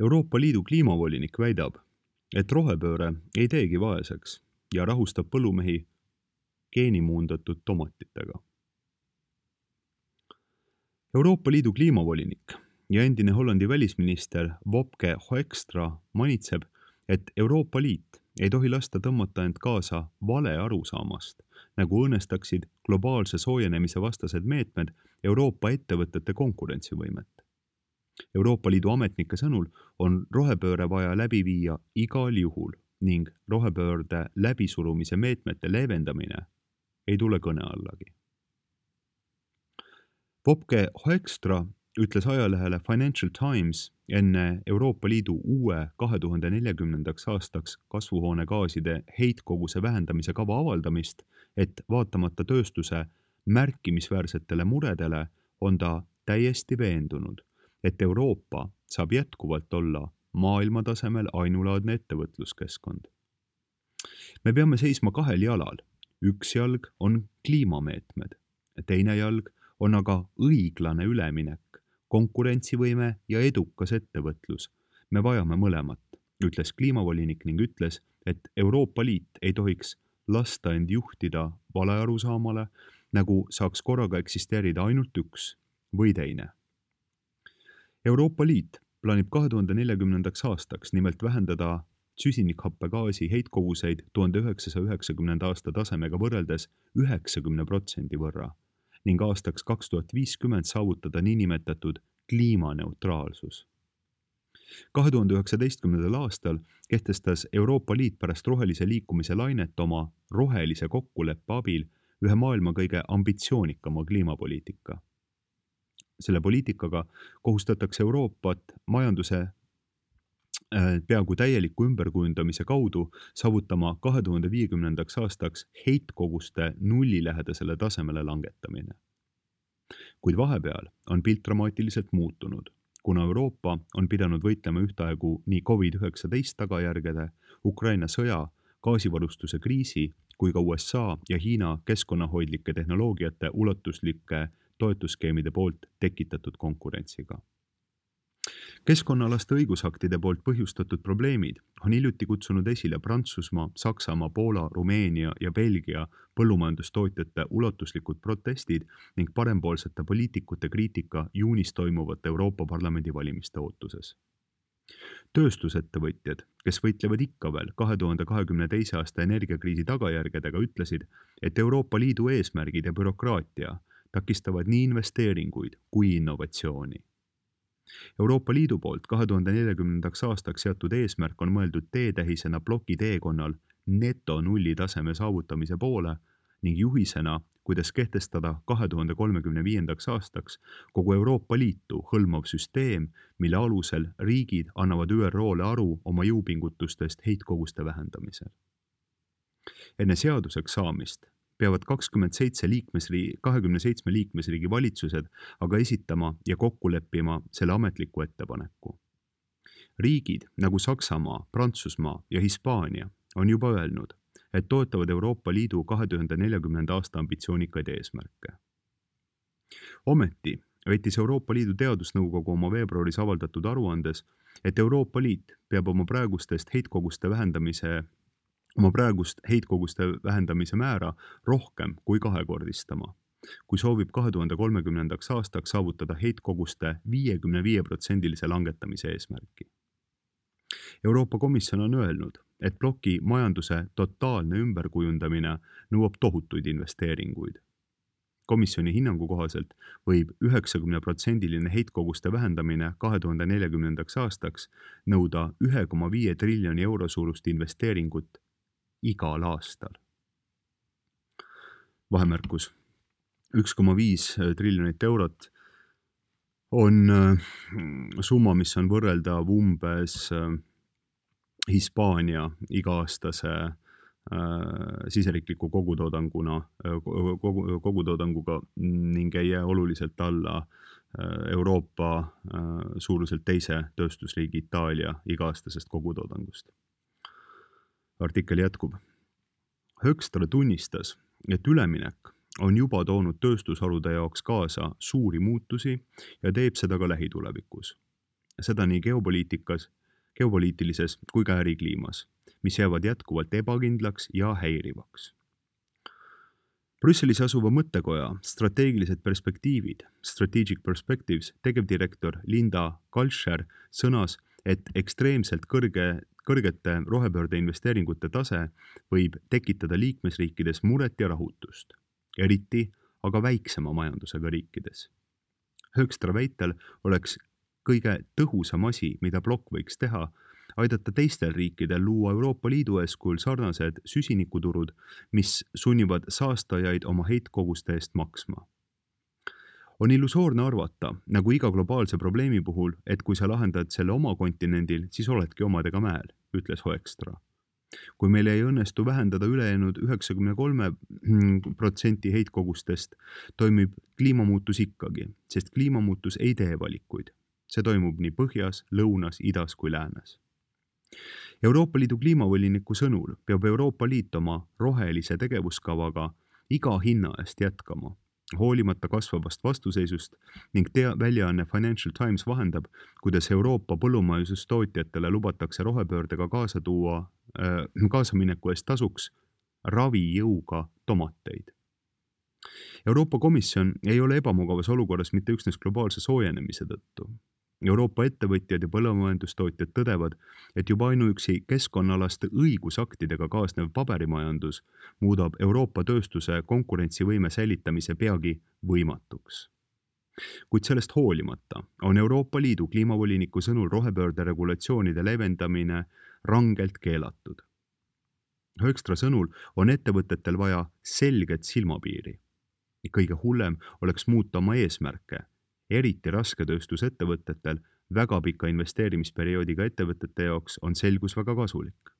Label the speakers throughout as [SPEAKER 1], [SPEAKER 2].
[SPEAKER 1] Euroopa Liidu kliimavolinik väidab, et rohepööre ei teegi vaeseks ja rahustab põllumehi geenimuundatud tomatitega. Euroopa Liidu kliimavolinik ja endine Hollandi välisminister Wopke Hoekstra manitseb, et Euroopa Liit ei tohi lasta tõmmata end kaasa vale arusaamast, nagu õõnestaksid globaalse soojenemise vastased meetmed Euroopa ettevõtete konkurentsivõimet. Euroopa Liidu ametnike sõnul on rohepööre vaja läbi viia igal juhul ning rohepöörde läbisurumise meetmete leevendamine ei tule kõne allagi. Wopke Hoekstra ütles ajalehele Financial Times enne Euroopa Liidu uue 2040. aastaks kasvuhoonegaaside heitkoguse vähendamise kava avaldamist, et vaatamata tööstuse märkimisväärsetele muredele on ta täiesti veendunud, et Euroopa saab jätkuvalt olla maailmatasemel ainulaadne ettevõtluskeskkond. Me peame seisma kahel jalal. Üks jalg on kliimameetmed, teine jalg on aga õiglane üleminek, konkurentsivõime ja edukas ettevõtlus. Me vajame mõlemat, ütles kliimavolinik ning ütles, et Euroopa Liit ei tohiks lasta end juhtida valearusaamale, nagu saaks korraga eksisteerida ainult üks või teine. Euroopa Liit plaanib 2040. aastaks nimelt vähendada süsinikhappegaasi heitkoguseid 1990. aasta tasemega võrreldes 90% võrra ning aastaks 2050 saavutada niinimetatud kliimaneutraalsus. 2019. aastal kehtestas Euroopa Liit pärast rohelise liikumise lainet oma rohelise kokkuleppe abil ühe maailma kõige ambitsioonikama kliimapoliitika. Selle poliitikaga kohustatakse Euroopat majanduse peaaegu täieliku ümberkujundamise kaudu saavutama 2050. aastaks heitkoguste nullilähedasele tasemele langetamine. Kuid vahepeal on pilt dramaatiliselt muutunud, kuna Euroopa on pidanud võitlema ühtaegu nii COVID-19 tagajärgede, Ukraina sõja, gaasivarustuse kriisi kui ka USA ja Hiina keskkonnahoidlike tehnoloogiate ulatuslike toetusskeemide poolt tekitatud konkurentsiga. Keskkonnalaste õigusaktide poolt põhjustatud probleemid on hiljuti kutsunud esile Prantsusmaa, Saksamaa, Poola, Rumeenia ja Belgia põllumajandustootjate ulatuslikud protestid ning parempoolsete poliitikute kriitika juunis toimuvate Euroopa Parlamendi valimiste ootuses. Tööstusettevõtjad, kes võitlevad ikka veel 2022. aasta energiakriisi tagajärgedega, ütlesid, et Euroopa Liidu eesmärgid ja bürokraatia takistavad nii investeeringuid kui innovatsiooni. Euroopa Liidu poolt 2040. aastaks seatud eesmärk on mõeldud teetähisena ploki teekonnal netonulli taseme saavutamise poole ning juhisena, kuidas kehtestada 2035. aastaks kogu Euroopa Liitu hõlmav süsteem, mille alusel riigid annavad ÜRO-le aru oma jõupingutustest heitkoguste vähendamisel. Enne seaduseks saamist peavad 27 liikmesriigi valitsused aga esitama ja kokku leppima selle ametliku ettepaneku. Riigid nagu Saksamaa, Prantsusmaa ja Hispaania on juba öelnud, et toetavad Euroopa Liidu 2040. aasta ambitsioonikaid eesmärke. Ometi väitis Euroopa Liidu teadusnõukogu oma veebruaris avaldatud aruandes, et Euroopa Liit peab oma praegust heitkoguste vähendamise määra rohkem kui kahekordistama, kui soovib 2030. aastaks saavutada heitkoguste 55% langetamise eesmärki. Euroopa Komisjon on öelnud, et ploki majanduse totaalne ümberkujundamine nõuab tohutuid investeeringuid. Komisjoni hinnangu kohaselt võib 90% heitkoguste vähendamine 2040. aastaks nõuda 1,5 triljoni euro suurust investeeringut igal aastal. Vahemärkus. 1,5 triljonit eurot on summa, mis on võrreldav umbes Hispaania iga-aastase siseriikliku kogutoodanguga ning ei jää oluliselt alla Euroopa suuruselt teise tööstusriigi Itaalia iga-aastasest kogutoodangust. Artikkel jätkub. Hoekstra tunnistas, et üleminek on juba toonud tööstusharude jaoks kaasa suuri muutusi ja teeb seda ka lähitulevikus. seda nii geopoliitilises kui ka ärikliimas, mis jäävad jätkuvalt ebakindlaks ja häirivaks. Brüsselis asuva mõttekoja strateegilised perspektiivid, Strategic Perspectives, tegevdirektor Linda Kalscher sõnas, et ekstreemselt kõrgete rohepöörde investeeringute tase võib tekitada liikmesriikides muret ja rahutust, eriti aga väiksema majandusega riikides. Höökstra väitel oleks kõige tõhusam asi, mida blokk võiks teha, aidata teistel riikidel luua Euroopa Liidu eeskujul sarnased süsinikuturud, mis sunnivad saastajaid oma heitkoguste eest maksma. On illusoorne arvata, nagu iga globaalse probleemi puhul, et kui sa lahendad selle oma kontinendil, siis oledki omadega mäel, ütles Höökstra. Kui meil ei õnnestu vähendada ülejäänud 93% heitkogustest, toimib kliimamuutus ikkagi, sest kliimamuutus ei tee valikuid. See toimub nii põhjas, lõunas, idas kui läänes. Euroopa Liidu kliimavoliniku sõnul peab Euroopa Liit oma rohelise tegevuskavaga iga hinna eest jätkama, hoolimata kasvavast vastuseisust ning väljaanne Financial Times vahendab, kuidas Euroopa põllumajandustootjatele lubatakse rohepöördega kaasamineku eest tasuks ravijõuga tomateid. Euroopa Komisjon ei ole ebamugavas olukorras mitte üksnes globaalse soojenemise tõttu. Euroopa ettevõtjad ja põllumajandustootjad tõdevad, et juba ainuüksi keskkonnaalaste õigusaktidega kaasnev paberimajandus muudab Euroopa tööstuse konkurentsivõime säilitamise peagi võimatuks. Kuid sellest hoolimata on Euroopa Liidu kliimavoliniku sõnul rohepöörde regulatsioonide leevendamine rangelt keelatud. Höökstra sõnul on ettevõtetel vaja selget silmapiiri. Kõige hullem oleks muuta oma eesmärke, eriti rasketööstusettevõtetel väga pika investeerimisperioodiga ettevõtete jaoks on selgus väga kasulik.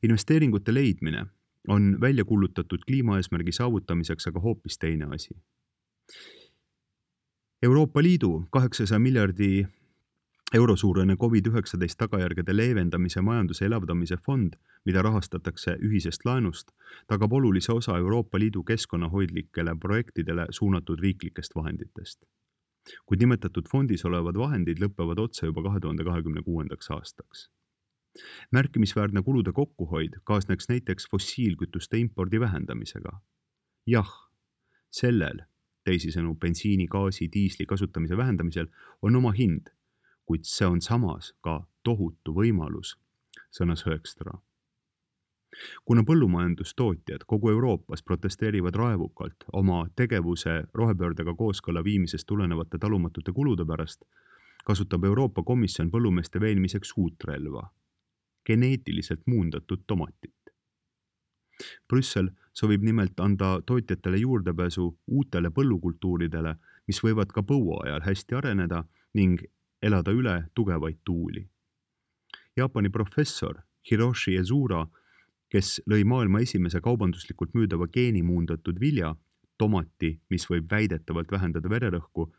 [SPEAKER 1] Investeeringute leidmine on välja kuulutatud kliimaeesmärgi saavutamiseks aga hoopis teine asi. Euroopa Liidu 800 miljardi euro suurene COVID-19 tagajärgede leevendamise majanduse elavdamise fond, mida rahastatakse ühisest laenust, tagab olulise osa Euroopa Liidu keskkonnahoidlikele projektidele suunatud riiklikest vahenditest. Kuid nimetatud fondis olevad vahendid lõpevad otsa juba 2026. aastaks. Märkimisväärne kulude kokkuhoid kaasneks näiteks fossiilkütuste impordi vähendamisega. Jah, sellel, teisisõnu bensiini, gaasi, diisli kasutamise vähendamisel on oma hind, kuid see on samas ka tohutu võimalus, sõnas Höökstra. Kuna põllumajandustootjad kogu Euroopas protesteerivad raevukalt oma tegevuse rohepöördega kooskõlla viimisest tulenevate talumatute kulude pärast, kasutab Euroopa Komisjon põllumeeste veenmiseks uut relva, geneetiliselt muundatud tomatit. Brüssel soovib nimelt anda tootjatele juurdepääsu uutele põllukultuuridele, mis võivad ka põuaajal hästi areneda ning elada üle tugevaid tuuli. Jaapani professor Hiroshi Ezura, kes lõi maailma esimese kaubanduslikult müüdava geenimuundatud vilja, tomati, mis võib väidetavalt vähendada vererõhku,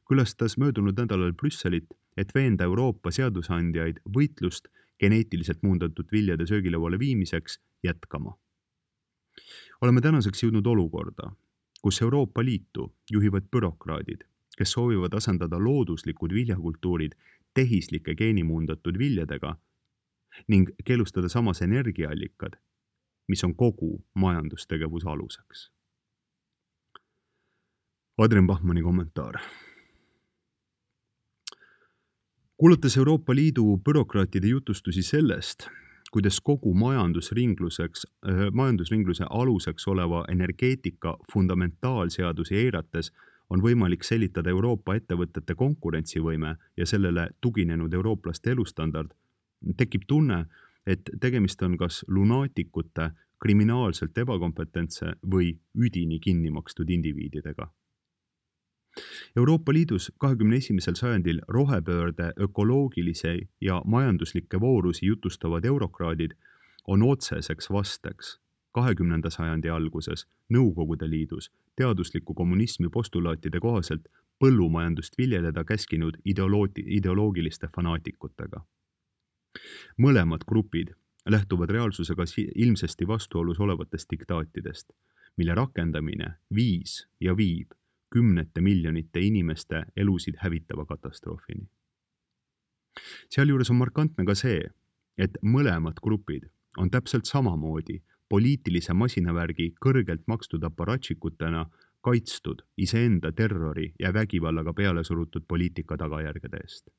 [SPEAKER 1] külastas möödunud nädalal Brüsselit, et veenda Euroopa seadusandjaid võitlust geneetiliselt muundatud viljade söögilauale viimiseks jätkama. Oleme tänaseks jõudnud olukorda, kus Euroopa Liitu juhivad bürokraadid, kes soovivad asendada looduslikud viljakultuurid tehislike geenimuundatud viljadega ning keelustada samas energiaallikad, mis on kogu majandustegevuse aluseks. Adrian Bachmanni kommentaar. Kuulates Euroopa Liidu bürokraatide jutustusi sellest, kuidas kogu majandusringluse aluseks oleva energeetika fundamentaalseadusi eirates on võimalik säilitada Euroopa ettevõtete konkurentsivõime ja sellele tuginenud eurooplaste elustandard, tekib tunne, et tegemist on kas lunaatikute, kriminaalselt ebakompetentse või üdini kinni makstud indiviididega. Euroopa Liidus 21. sajandil rohepöörde ökoloogilise ja majanduslikke voorusi jutustavad eurokraadid on otseseks vasteks 20. sajandi alguses Nõukogude Liidus teadusliku kommunismi postulaatide kohaselt põllumajandust viljeleda käskinud ideoloogiliste fanaatikutega. Mõlemad grupid lähtuvad reaalsusega ilmsesti vastuolus olevatest diktaatidest, mille rakendamine viis ja viib kümnete miljonite inimeste elusid hävitava katastroofini. Sealjuures on markantne ka see, et mõlemad grupid on täpselt samamoodi poliitilise masinavärgi kõrgelt makstud aparatšikutena kaitstud iseenda terrori ja vägivallaga peale surutud poliitika tagajärgede eest.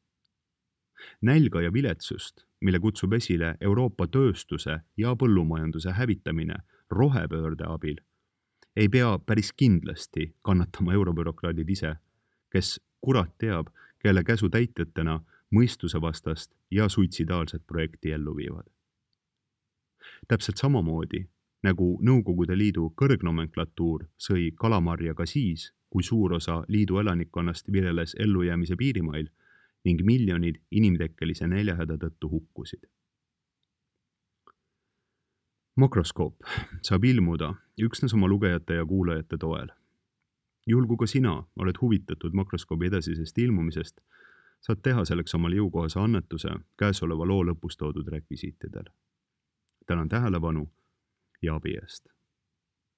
[SPEAKER 1] Nälga ja viletsust, mille kutsub esile Euroopa tööstuse ja põllumajanduse hävitamine rohepöörde abil, ei pea päris kindlasti kannatama eurobürokraadid ise, kes kurat teab, kelle käsutäitjatena mõistusevastast ja suitsidaalset projekti ellu viivad. Täpselt samamoodi, nagu Nõukogude Liidu kõrgnomenklatuur sõi kalamarja ka siis, kui suur osa liidu elanikkonnast vireles ellujäämise piirimail ning miljonid inimtekkelise näljahäda tõttu hukkusid. Makroskoop saab ilmuda üksnes oma lugejate ja kuulajate toel. Juhul kui ka sina oled huvitatud makroskoobi edasisest ilmumisest, saad teha selleks omale jõukohase annetuse käesoleva loo lõpus toodud rekvisiitidel. Tänan tähelepanu ja abi eest.